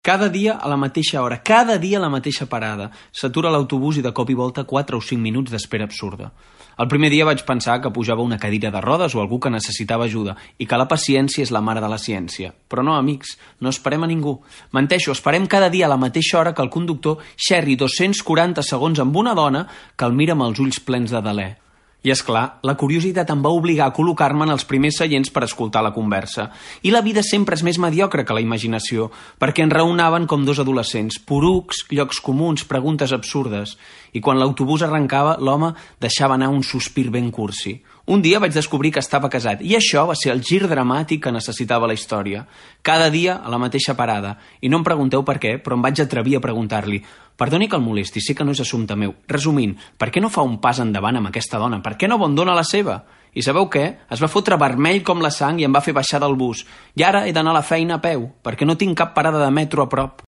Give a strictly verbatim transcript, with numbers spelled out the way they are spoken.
Cada dia a la mateixa hora, cada dia a la mateixa parada. S'atura l'autobús i de cop i volta quatre o cinc minuts d'espera absurda. El primer dia vaig pensar que pujava una cadira de rodes o algú que necessitava ajuda i que la paciència és la mare de la ciència. Però no, amics, no esperem a ningú. Menteixo, esperem cada dia a la mateixa hora que el conductor xerri dos-cents quaranta segons amb una dona que el mira amb els ulls plens de delè. I, és clar, la curiositat em va obligar a col·locar-me en els primers seients per escoltar la conversa. I la vida sempre és més mediocre que la imaginació, perquè ens raonaven com dos adolescents, porucs, llocs comuns, preguntes absurdes. I quan l'autobús arrencava, l'home deixava anar un sospir ben cursi. Un dia vaig descobrir que estava casat, i això va ser el gir dramàtic que necessitava la història. Cada dia a la mateixa parada. I no em pregunteu per què, però em vaig atrevir a preguntar-li: perdoni que el molesti, sé que no és assumpte meu. Resumint, per què no fa un pas endavant amb aquesta dona? Per què no abandona la seva? I sabeu què? Es va fotre vermell com la sang i em va fer baixar del bus. I ara he d'anar a la feina a peu, perquè no tinc cap parada de metro a prop.